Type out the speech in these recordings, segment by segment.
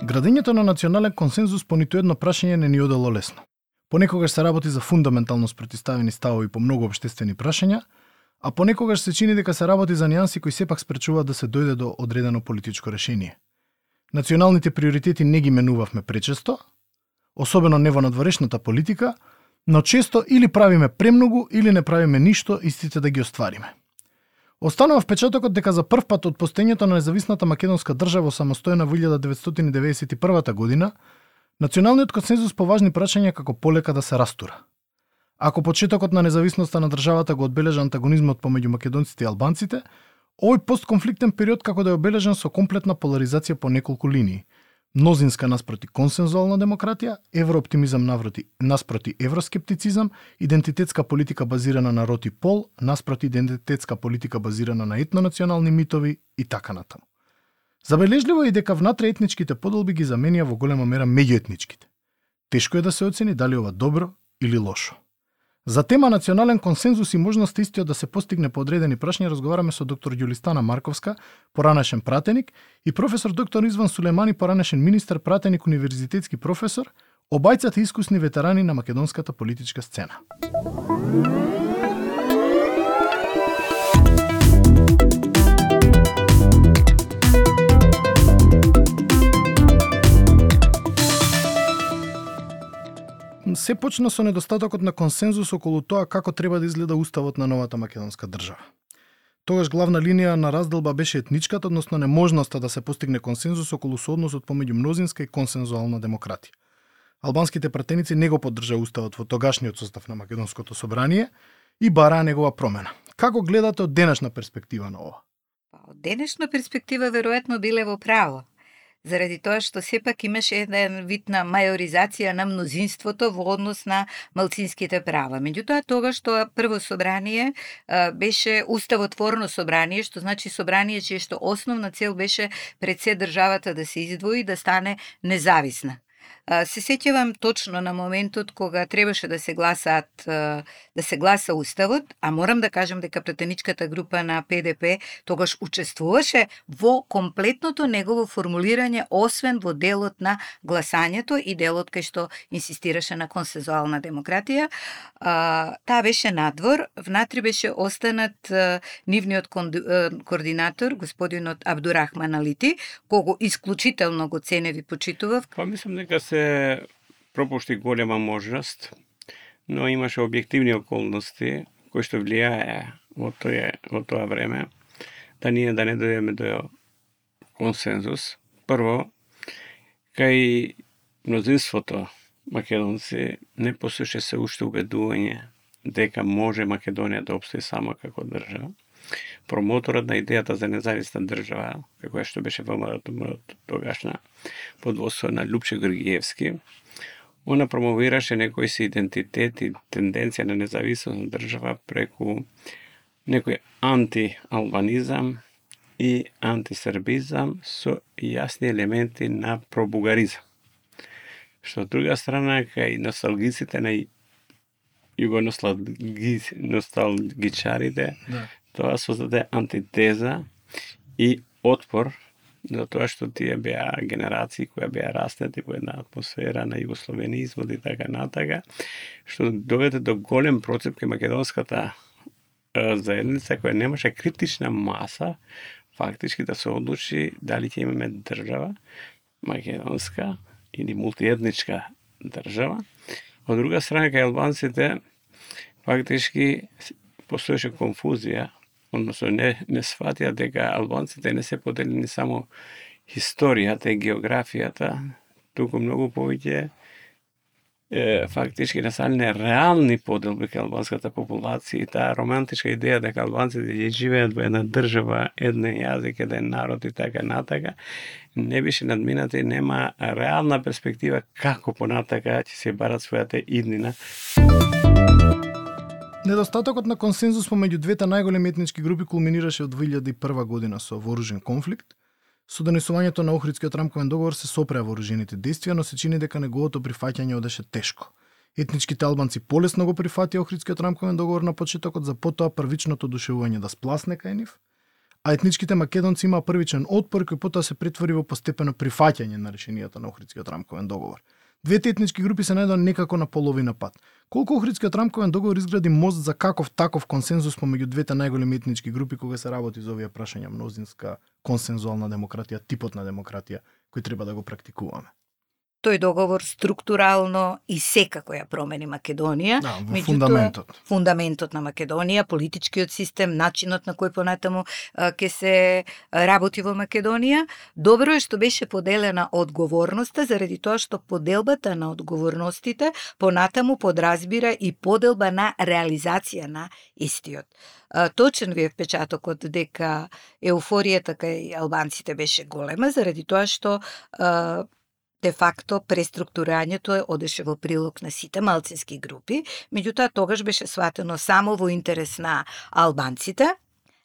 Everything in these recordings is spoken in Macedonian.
Градењето на национален консензус по ниту едно прашање не ни одело лесно. Понекогаш се работи за фундаментално спротивставени ставови по многу општествени прашања, а понекогаш се чини дека се работи за нијанси кои сепак спречуваат да се дојде до одредено политичко решение. Националните приоритети не ги менувавме пречесто, особено не во надворешната политика, но често или правиме премногу или не правиме ништо истите да ги оствариме. Останува впечатокот дека за прв пат од постоењето на независната македонска држава самостојна во 1991 година, националниот консензус по важни прашања како полека да се растура. Ако почетокот на независноста на државата го одбележа антагонизмот помеѓу македонците и албанците, овој постконфликтен период како да е обележан со комплетна поларизација по неколку линии. Мнозинска наспроти консензуална демократија, еврооптимизам наспроти евроскептицизам, идентитетска политика базирана на род и пол, наспроти идентитетска политика базирана на етнонационални митови и така натаму. Забележливо е и дека внатре етничките поделби ги заменија во голема мера меѓуетничките. Тешко е да се оцени дали ова добро или лошо. За тема национален консензус и можност истиот да се постигне по одредени прашања разговараме со доктор Јулистана Марковска, поранешен пратеник, и професор доктор Изван Сулемани, поранешен министер, пратеник, универзитетски професор, обајцата искусни ветерани на македонската политичка сцена. Се почна со недостатокот на консензус околу тоа како треба да изгледа уставот на новата македонска држава. Тогаш главна линија на разделба беше етничката, односно неможноста да се постигне консензус околу соодносот помеѓу мнозинска и консензуална демократија. Албанските пратеници не го поддржаа уставот во тогашниот состав на македонското собрание и бараа негова промена. Како гледате од денешна перспектива на ова? Од денешна перспектива веројатно биле во право. Заради тоа што сепак имаше еден вид на мајоризација на мнозинството во однос на малцинските права. Меѓутоа, тогаш тоа прво собрание беше уставотворно собрание, што значи собрание чие што основна цел беше пред се државата да се издвои, да стане независна. Се сеќавам точно на моментот кога требаше да се гласа уставот, а морам да кажам дека пратеничката група на ПДП тогаш учествуваше во комплетното негово формулирање, освен во делот на гласањето и делот кај што инсистираше на консензуална демократија. Таа беше надвор, внатре беше останат нивниот координатор, господинот Абдурахман Алити, кого исклучително го ценев и почитував. Мислам дека се пропушти голема можност, но имаше објективни околности кои што влијае во тоа време да ние да не дојдеме до консензус. Прво, кај мнозинството македонци не постоеше се уште убедување дека може Македонија да опстои само како држава. Промоторот на идејата за независна држава, како што беше ВМРО тогашна, под водство на Лупче Георгиевски, она промовираше некој си идентитет и тенденција на независна држава преку некој антиалбанизам и антисрбизам со јасни елементи на пробугаризам. Што од друга страна, кај носталгиците на носталгичарите, тоа создаде антитеза и отпор за тоа што тие беа генерации кои беа растети во една атмосфера на југословенизмот и така натака, што доведе до голем процеп кај македонската заедница која немаше критична маса фактички да се одлучи дали ќе имаме држава македонска или мултиетничка држава. Од друга страна, кај албанците фактички постоеше конфузија, односно не сватија дека албанците не се поделени само историјата и географијата, туку многу повеќе фактички настанале реални поделби кај албанската популација и таа романтичка идеја дека албанците ќе живеат во една држава, еден јазик, еден народ и така натака, не беше надмината и нема реална перспектива како понатака ќе се барат својата иднина. Недостатокот на консензус помеѓу двете најголеми етнички групи кулминираше од 2001 година со вооружен конфликт. Со донесувањето на Охридскиот рамковен договор се сопреа вооружените действија, но се чини дека неговото прифаќање одеше тешко. Етничките албанци полесно го прифатија Охридскиот рамковен договор на почетокот, за потоа првичното одушевување да спласне кај нив, а етничките македонци имаа првичен отпор кој потоа се претвори во постепено прифаќање на решенијата на Охридскиот рамковен договор. Двете етнички групи се најдоа некако на половина пат. Колку Охридскиот рамковен договор изгради мост за каков таков консензус помеѓу двете најголеми етнички групи кога се работи за овие прашања мнозинска консензуална демократија, типот на демократија кој треба да го практикуваме? Тој договор структурално и секако ја промени Македонија. Да, во фундаментот. Фундаментот на Македонија, политичкиот систем, начинот на кој понатаму ќе се работи во Македонија. Добро е што беше поделена одговорноста, заради тоа што поделбата на одговорностите понатаму подразбира и поделба на реализација на истиот. Точен ви е впечатокот дека еуфоријата кај албанците беше голема, заради тоа што де факто преструктурањето одеше во прилог на сите малцински групи, меѓутоа тогаш беше сватено само во интерес на албанците,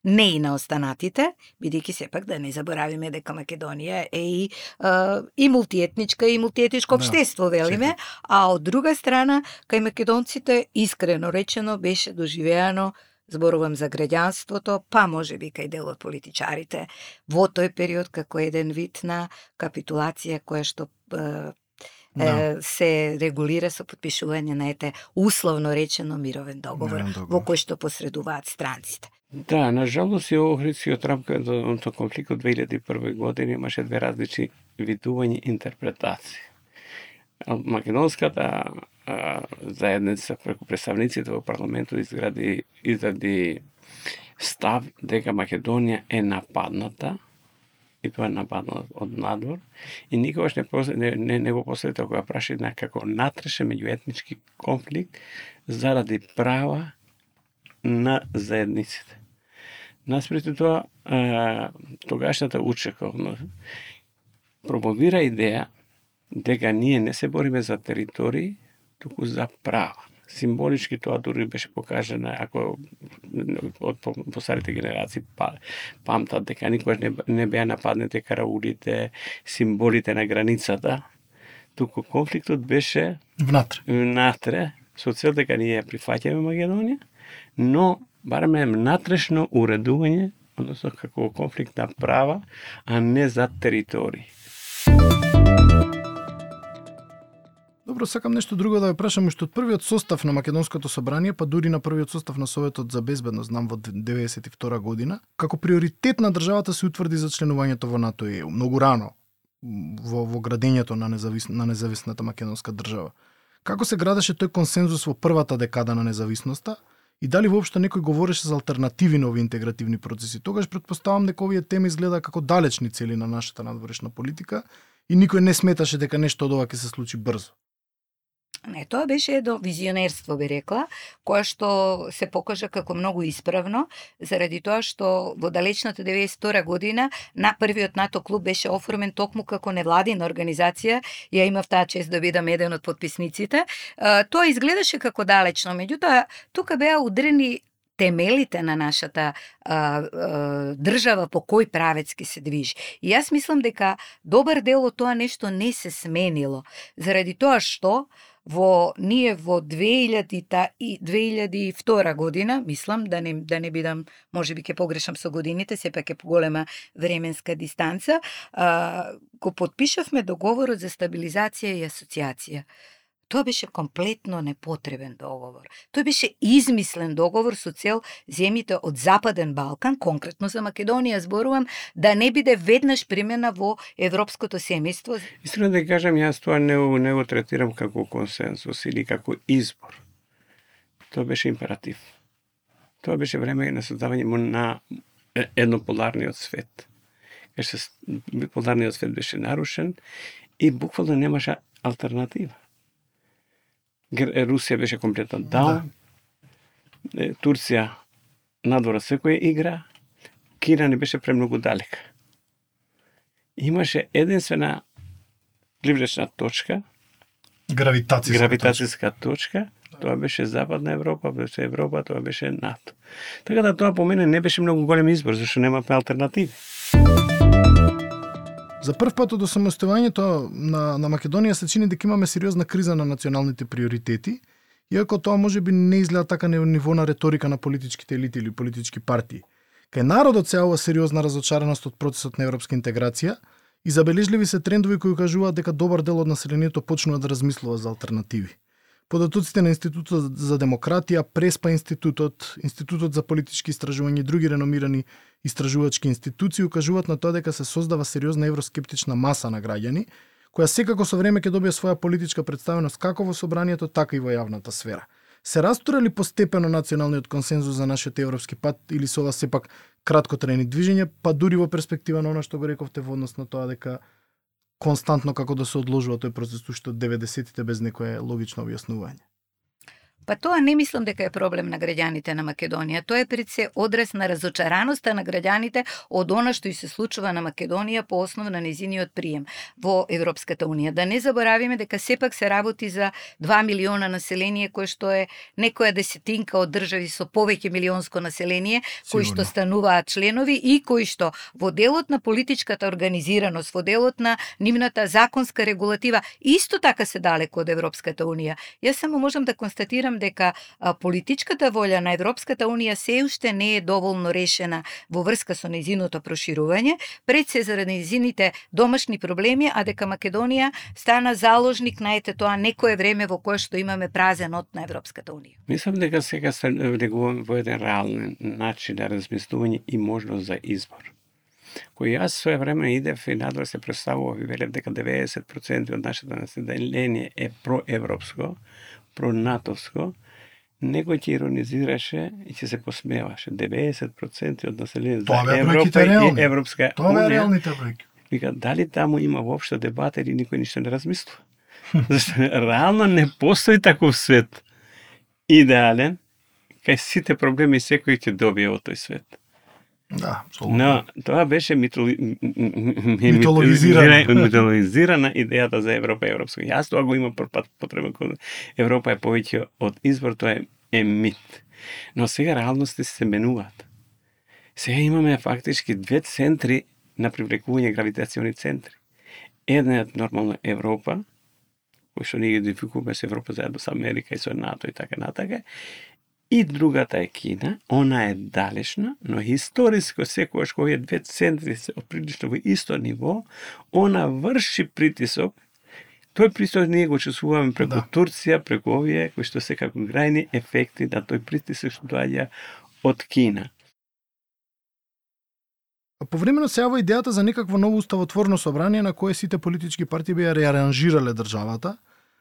не и на останатите, бидејќи сепак да не заборавиме дека Македонија е и мултиетничка и мултиетничко општество, велиме, а од друга страна, кај македонците, искрено речено, беше доживеано, зборувам за граѓанството, па може би кај дел од политичарите, во тој период како еден вид на капитулација која што се регулира со подпишување на условно речено мировен договор, во кој што посредуваат странците. Да, нажалост и Охридскиот рамковен конфликт од 2001 година имаше две различни видувања интерпретации. Македонската заедница преку представниците во парламентот изради став дека Македонија е нападната, и тоа е нападната од надвор, и никогаш не го посветил кога праша како натрешен меѓуетнички конфликт заради права на заедниците. Наспроти тоа, тогашната учековност промовира идеја дека ние не се бориме за територии, туку за права. Символички тоа дури беше покажано, ако од постарите генерации памтат дека никогаш не беа нападнати караулите, символите на границата, туку конфликтот беше внатре, со цел дека ние прифаќаме Македонија, но бараме натрешно уредување, односно како конфликт на права, а не за територии. Добро, сакам нешто друго да ве прашам, што од првиот состав на Македонското собрание, па дури на првиот состав на Советот за безбедност, знам во 1992 година, како приоритет на државата се утврди за членувањето во НАТО и ЕУ, многу рано во градењето на независната македонска држава. Како се градеше тој консензус во првата декада на независноста и дали воопшто некој говореше за алтернативи на овие интегративни процеси? Тогаш претпоставам дека овие теми изгледа како далечни цели на нашата надворешна политика и никој не сметаше дека нешто од ова ќе се случи брзо. Не, тоа беше едно визионерство, би рекла, кое што се покажа како многу исправно, заради тоа што во далечната 92 година на првиот НАТО клуб беше оформен токму како невладина организација, ја имав таа чест да бидам еден од подписниците. Тоа изгледаше како далечно, меѓутоа тука беа удрени темелите на нашата држава по кој правец ке се движи. И јас мислам дека добар дел од тоа нешто не се сменило, заради тоа што ние во 2002 година, мислам, да не бидам, може би ќе погрешам со годините, сепак е поголема временска дистанца, го подпишавме договорот за стабилизација и асоциација. Тоа беше комплетно непотребен договор. Тој беше измислен договор со цел земјите од Западен Балкан, конкретно за Македонија зборувам, да не биде веднаш примена во европското семејство. Искрено да кажам, јас тоа не го третирам како консенсус или како избор. Тоа беше императив. Тоа беше време на создавање на еднополарниот свет. Биполарниот свет беше нарушен и буквално немаше алтернатива. Русија беше комплетно даун, Турција надвора секоја игра, Кина не беше премногу далека. Имаше единствена привлечна точка, гравитацијска точка, тоа беше Западна Европа, тоа беше НАТО. Така да тоа по мене не беше многу голем избор, зашто немаме алтернативи. За прв пат од осамостојувањето на Македонија се чини дека имаме сериозна криза на националните приоритети, иако тоа може би не изгледа така на ниво на реторика на политичките елити или политички партии. Кај народот се јавува сериозна разочараност од процесот на европска интеграција и забележливи се трендови кои кажуваат дека добар дел од населението почнува да размислува за алтернативи. Податоците на Институтот за демократија, Преспа институтот, Институтот за политички истражувања и други реномирани истражувачки институции укажуваат на тоа дека се создава сериозна евроскептична маса на граѓани, која секако со време ќе добие своја политичка представеност како во собранието, така и во јавната сфера. Се растура ли постепено националниот консензус за нашиот европски пат или се ова сепак краткотрајни движења, па дури во перспектива на она што го рековте во однос на тоа дека константно како да се одложува тој процес уште од 90-тите без некое логично објаснување? Па тоа не мислам дека е проблем на граѓаните на Македонија. Тоа е пред се одраз на разочараноста на граѓаните од она што и се случува на Македонија по основа на нејзиниот прием во Европската унија. Да не заборавиме дека сепак се работи за 2 милиона население, кој што е некоја десетинка од држави со повеќе милионско население, кои што стануваат членови и кои што во делот на политичката организираност, во делот на нивната законска регулатива, исто така се далеко од Европската унија. Јас само можам да констатирам дека политичката волја на Европската унија се уште не е доволно решена во врска со нејзиното проширување, пред се заради нејзините домашни проблеми, а дека Македонија стана заложник на тоа некое време во кое што имаме празен од на Европската унија. Мислам дека сега се влегуваме во еден реален начин на размислување и можност за избор. Кој јас своје време идев и надвор се представував и велев дека 90% од нашето население е проевропско, пронатовско, некој ќе иронизираше и ќе се посмеваше. 90% од населението за Европа и Европска Тоа е реалните бројки. Вика, дали таму има воопшто дебата или никој ништо не размислува? Зашто реално не постои таков свет идеален, кај сите проблеми секој ќе добие од тој свет. Да, но тоа беше митологизирана идејата за Европа и Европска. Јас тоа го имам потреба кога Европа е повеќе од избор, тоа е мит. Но сега реалности се менуваат. Сега имаме фактички две центри на привлекување гравитациони центри. Една е нормално Европа, кој што ние идентификуваме со Европа заедно со Америка и со НАТО и така натака. И другата е Кина, она е далечна, но историско секогаш кога овие две центри се прилично во исто ниво, она врши притисок. Тој притисок ние го чувствуваме преку Турција, преку овие кои што се како грајни ефекти на тој притисок што доаѓа од Кина. Повремено се јава идејата за некакво ново уставотворно собрание на кое сите политички партии би ја реаранжирале државата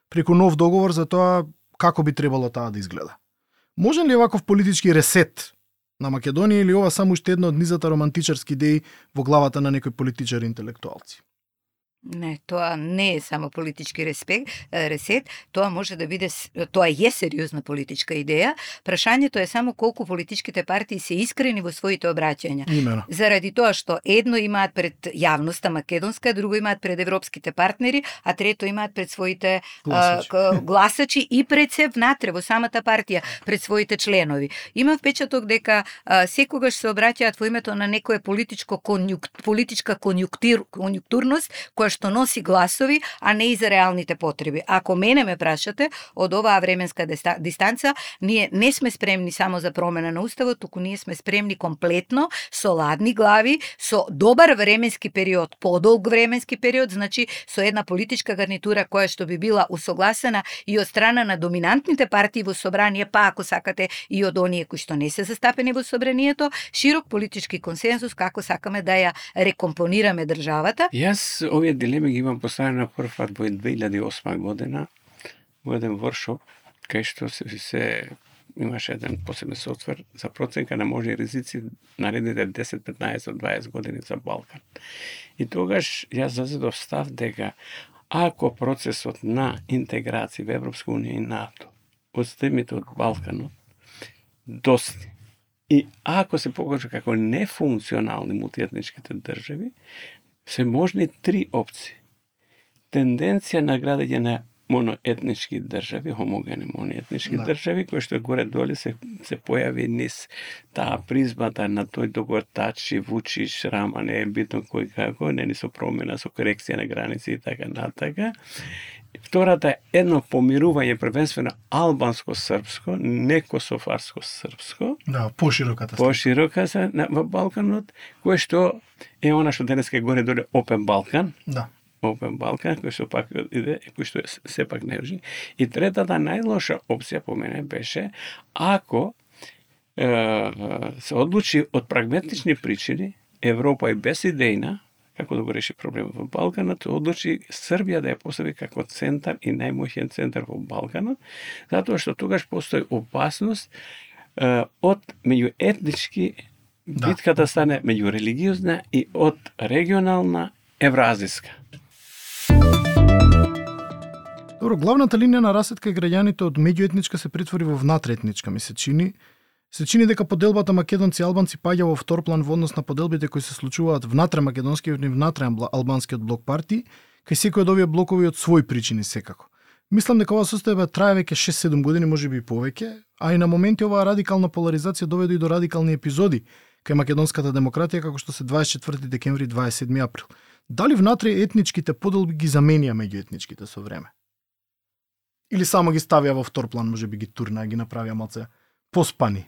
преку нов договор за тоа како би требало таа да изгледа. Можен ли ваков политички ресет на Македонија или ова само уште една од низата романтичарски идеи во главата на некои политичари интелектуалци? Не, тоа не е само политички ресет, тоа може да биде, тоа е сериозна политичка идеја. Прашањето е само колку политичките партии се искрени во своите обраќања. Имено. Заради тоа што едно имаат пред јавноста македонска, друго имаат пред европските партнери, а трето имаат пред своите гласачи и пред се внатре во самата партија, пред своите членови. Има впечаток дека секогаш се обраќаат во името на некоја политичка конјунктурност која што носи гласови, а не и за реалните потреби. Ако мене ме прашате, од оваа временска дистанца, ние не сме спремни само за промена на уставот, туку ние сме спремни комплетно, со ладни глави, со добар временски период, подолг временски период, значи со една политичка гарнитура која што би била усогласена и од страна на доминантните партии во собрание, па ако сакате и од оние кои што не се застапени во собранието, широк политички консензус како сакаме да ја рекомпонираме државата. Јас овие дилеми ги имам поставено на прв пат во 2008 година во еден воркшоп кај што се имаше еден посебен софтвер за проценка на можни ризици наредните 10, 15, 20 години за Балкан. И тогаш јас зазедов став дека ако процесот на интеграција во Европска унија и НАТО од земјите од Балканот достигне и ако се покаже како нефункционални мултиетничките држави, се можни три опции. Тенденција на градење на моноетнички држави, хомогени моноетнички држави, кои што горе-доле се појави низ таа призмата на тој договор Тачи, Вучиш, Рама, не е битно кој како, не со промена, со корекција на граници и така натака. Втората е едно помирување првенствено албанско-српско, не кософарско-српско. Да, пошироката. Поширока се во Балканот, кое што е она што денеска е горе-доле Опен Балкан. Да. Опен Балкан, кој што пак иде, кој што сепак не режи. И третата најлоша опција по мене беше ако се одлучи од прагматични причини Европа е безидејна како да го реши проблемот во Балканот, одлучи Србија да ја постави како центар и најмоćен центар во Балканот, затоа што тогаш постои опасност од меѓуетнички битката стане меѓурелигиозна и од регионална евразиска. Добро, главната линија на расетка и граѓаните од меѓуетничка се претвори во внатреетничка, ми се чини. Се чини дека поделбата македонци и албанци паѓа во втор план во однос на поделбите кои се случуваат внатре македонскиот и внатре албанскиот блок партии, кај секој од овие блокови од своји причини секако. Мислам дека ова состојба трае веќе 6-7 години, можеби и повеќе, а и на моменти оваа радикална поларизација доведе и до радикални епизоди кај македонската демократија, како што се 24 декември и 27 април. Дали внатре етничките поделби ги заменија меѓуетничките со време? Или само ги ставија во втор план, можеби ги турна, ги направија малце поспани?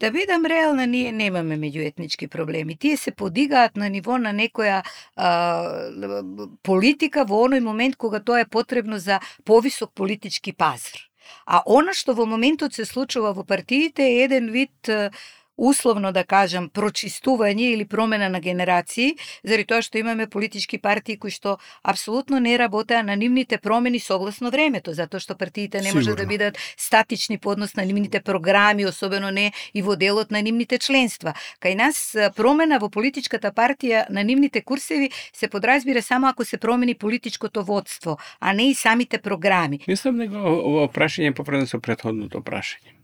Да бидам реална, ние немаме меѓуетнички проблеми. Тие се подигаат на ниво на некоја политика во оној момент кога тоа е потребно за повисок политички пазар. А она што во моментот се случува во партиите е еден вид условно да кажам прочистување или промена на генерации, заради тоа што имаме политички партии кои што апсолутно не работеа на нивните промени согласно времето, затоа што партиите не може да бидат статични по однос на нивните програми, особено не и во делот на нивните членства. Кај нас промена во политичката партија на нивните курсеви се подразбира само ако се промени политичкото водство, а не и самите програми. Мислам дека ова прашање е поврзано со претходното прашање.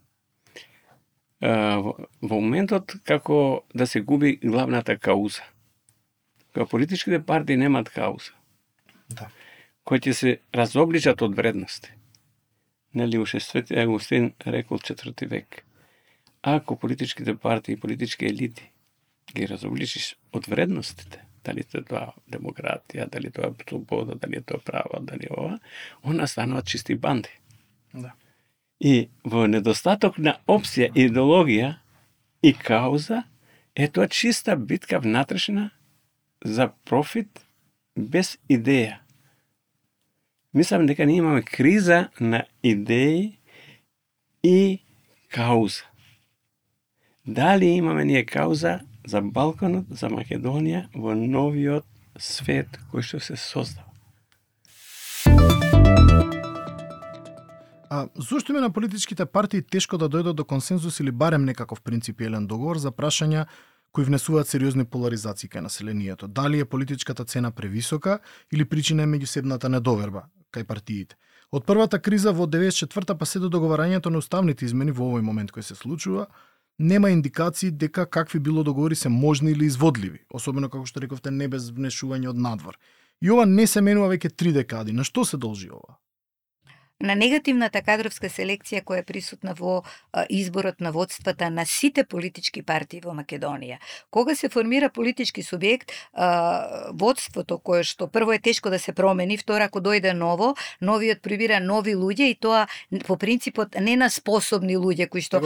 Во моментот како да се губи главната кауза. Кога политичките партии немат кауза. Да. Кои ќе се разобличат од вредности. Нели уште Свети Агустин рекол 4 век. Ако политичките партии и политички елити ги разобличиш од вредностите, дали тоа демократија, дали тоа слобода, дали тоа право, дали ова, она стануваат чисти банди. Да. И во недостаток на опција, идеологија и кауза, е тоа чиста битка внатрешна за профит без идеја. Мислам дека ние имаме криза на идеи и кауза. Дали имаме ние кауза за Балканот, за Македонија во новиот свет кој што се создава? Зошто име на политичките партии тешко да дојдат до консензус или барем некаков принципиелен договор за прашања кои внесуваат сериозни поларизации кај населението? Дали е политичката цена превисока или причина е меѓусебната недоверба кај партиите? Од првата криза во 94-та па се до договарањето на уставните измени во овој момент кој се случува, нема индикации дека какви било договори се можни или изводливи, особено како што рековте не без внешување од надвор. И ова не се менува веќе 3 декади. На што се должи ова? На негативната кадровска селекција која е присутна во изборот на водствата на сите политички партии во Македонија. Кога се формира политички субјект, водството кое што прво е тешко да се промени, второ ако дојде ново, новиот прибира нови луѓе и тоа по принципот не на способни луѓе кои што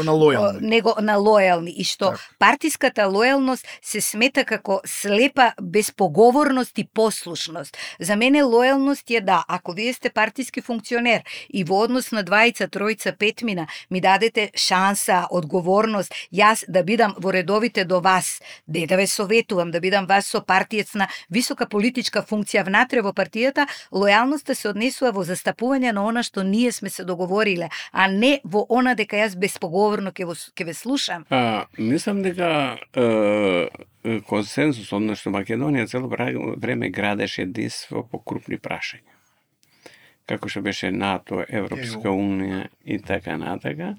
него на лојални и што партиската лојалност се смета како слепа безпоговорност и послушност. За мене лојалност е да, ако вие сте партиски функционер и во однос на 2, 3, 5 ми дадете шанса, одговорност, јас да бидам во редовите до вас, да ве советувам, да бидам вас со партиец на висока политичка функција внатре во партијата, лојалноста се однесува во застапување на она што ние сме се договориле, а не во она дека јас безпоговорно ќе ве слушам. Мислам дека консензус, односно Македонија цело време градеше единство по крупни прашања. Како што беше НАТО, Европска унија и така натака.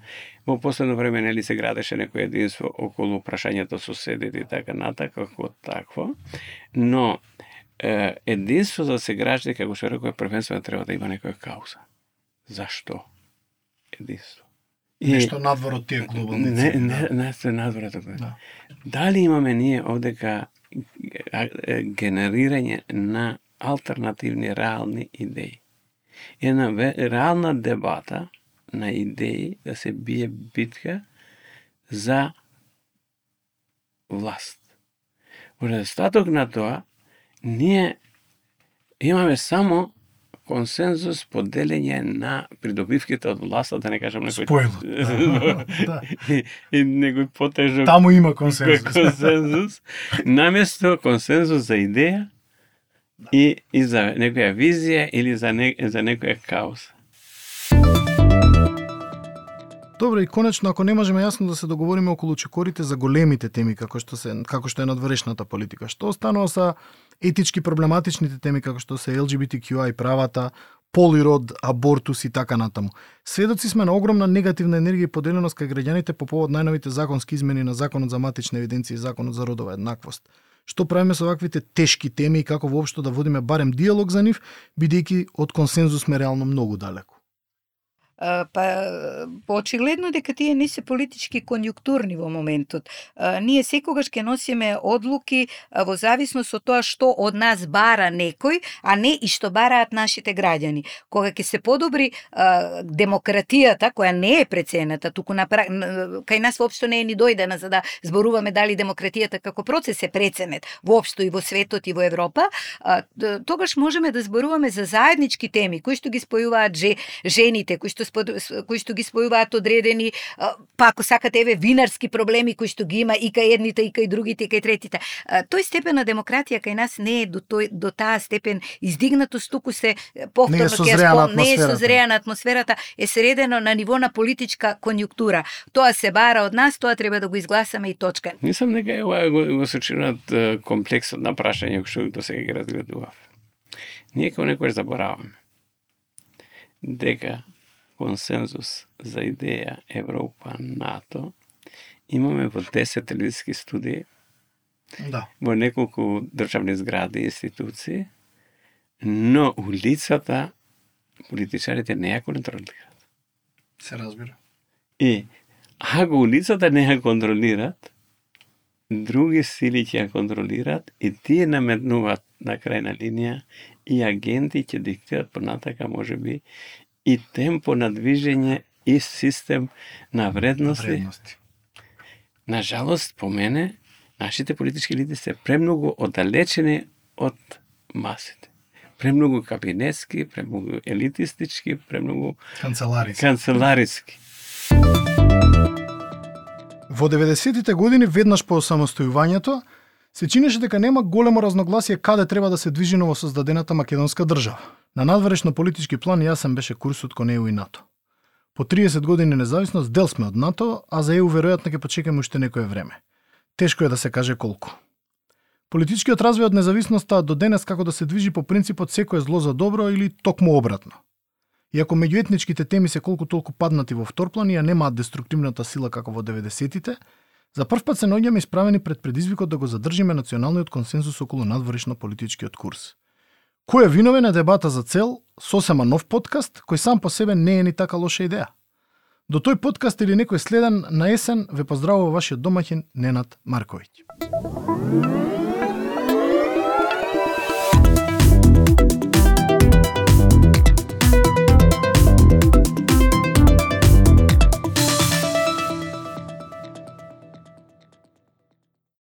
Во последно време нели се градеше некој единство околу прашањето соседите и така натака, како такво. Но единство за се гради, како што рекој, првенствено треба да има некоја кауза. Зашто единство? Нешто надвор од тие глобални цели. Не, надвор од тоа. Дали имаме ние овдека генерирање на алтернативни реални идеи? една реална дебата на идеи да се бие битка за власт. Во недостаток на тоа, ние имаме само консензус, поделење на придобивките од власта, да не кажам некој... Спојло. Да. И некој потежок... Таму има консензус. консензус, наместо консензус за идеја и за некоја визија или за некоја кауза. Добро, и конечно, ако не можеме јасно да се договориме околу чекорите за големите теми како што е надворешната политика, што останува са етички проблематичните теми како што се LGBTQI правата, пол и род, абортус и така натаму. Сведоци сме на огромна негативна енергија и поделеност кај граѓаните по повод најновите законски измени на Законот за матична евиденција и Законот за родова еднаквост. Што правиме со ваквите тешки теми и како воопшто да водиме барем диалог за нив, бидејќи од консензус сме реално многу далеку? Очигледно дека тие не се политички конјунктурни во моментот. Ние секогаш ќе носиме одлуки во зависност од тоа што од нас бара некој, а не и што бараат нашите граѓани. Кога ќе се подобри демократијата, која не е прецената, туку кај нас воопшто не е ни дојдена за да зборуваме дали демократијата како процес е преценет воопшто и во светот и во Европа, тогаш можеме да зборуваме за заеднички теми кои што ги спојуваат жените, кои што ги спојуваат одредени, па ако сакате еве винарски проблеми кои што ги има и кај едните и кај другите и кај третите. Тој степен на демократија кај нас не е до таа степен издигнатост, туку се повторно не е созреана атмосферата, е средено на ниво на политичка конјунктура. Тоа се бара од нас, тоа треба да го изгласаме и точка. Мислам дека ова го сочинат комплексот на прашања што до сега ги разгледував. Ние како некој забораваме дека консензус за идеја Европа, НАТО, имаме во 10 телевизиски студии, да, во неколку државни згради и институции, но улицата политичарите не ја контролираат. Се разбира. И ако улицата не ја контролираат, други сили ќе ја контролираат и тие наметнуваат на крајна линија и агенти ќе диктираат понатака можеби и темпо на движење и систем на вредности. На жалост, по мене, нашите политички лидери се премногу оддалечени од масите. Премногу кабинетски, премногу елитистички, премногу канцелариски. Во 90-тите години, веднаш по самостојувањето, се чинеше дека нема големо разногласие каде треба да се движи новосоздадената македонска држава. На надворешно политички план јасен беше курсот кон ЕУ и НАТО. По 30 години независност дел сме од НАТО, а за ЕУ веројатно ќе почекаме уште некое време. Тешко е да се каже колку. Политичкиот развој од независноста до денес како да се движи по принципот секое зло за добро или токму обратно. Иако меѓуетничките теми се колку толку паднати во вторплан и ја немаат деструктивната сила како во 90-тите, за прв пат се наоѓаме исправени пред предизвикот да го задржиме националниот консензус околу надворешно политичкиот курс. Кој е виновен е дебата за цел, сосема нов подкаст, кој сам по себе не е ни така лоша идеја. До тој подкаст или некој следен на есен ве поздравува вашиот домаќин Ненад Марковиќ.